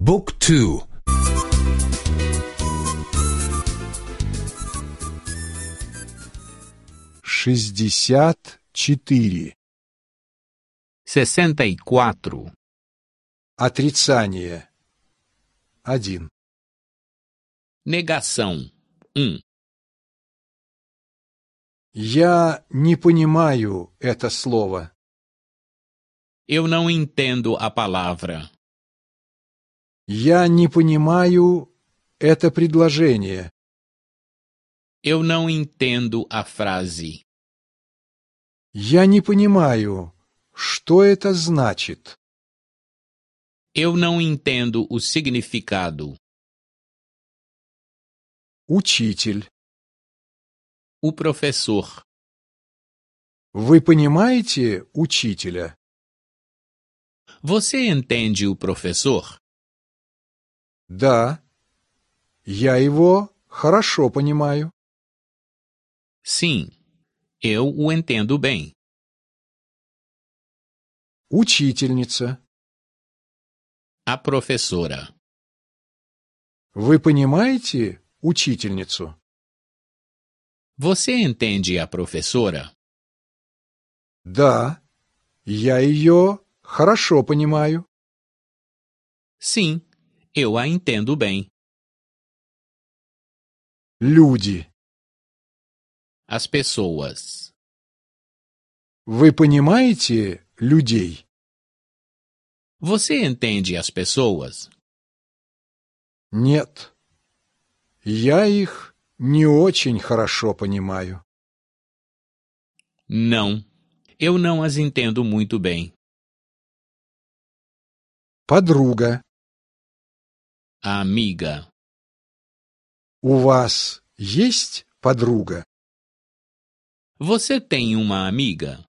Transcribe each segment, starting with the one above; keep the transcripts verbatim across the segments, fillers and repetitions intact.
Book two. Шестьдесят четыре. Sessenta e quatro. Отрицание. Один. Negação. Um. Я не понимаю это слово. Eu não entendo a palavra. Я не понимаю это предложение. Eu não entendo a frase. Я не понимаю, что это значит. Eu não entendo o significado. Учитель. O professor. Вы понимаете учителя? Você entende o professor? Да, я его хорошо понимаю. Sim, eu o entendo bem. Учительница. A professora. Вы понимаете учительницу? Você entende a professora? Да, я ее хорошо понимаю. Sim, eu a entendo bem. Люди. As pessoas. Вы понимаете людей? Você entende as pessoas? Нет, я их не очень хорошо понимаю. Não, eu não as entendo muito bem. Подруга. A amiga. У вас есть подруга? Você tem uma amiga?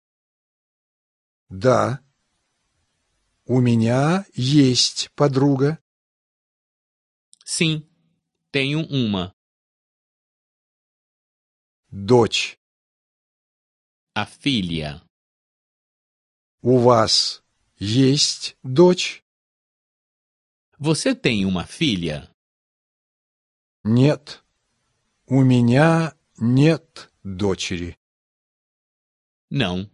Да. У меня есть подруга. Sim, tenho uma. Дочь. A filha. У вас есть дочь? Você tem uma filha? Нет, у меня нет дочери. Não,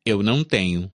eu não tenho.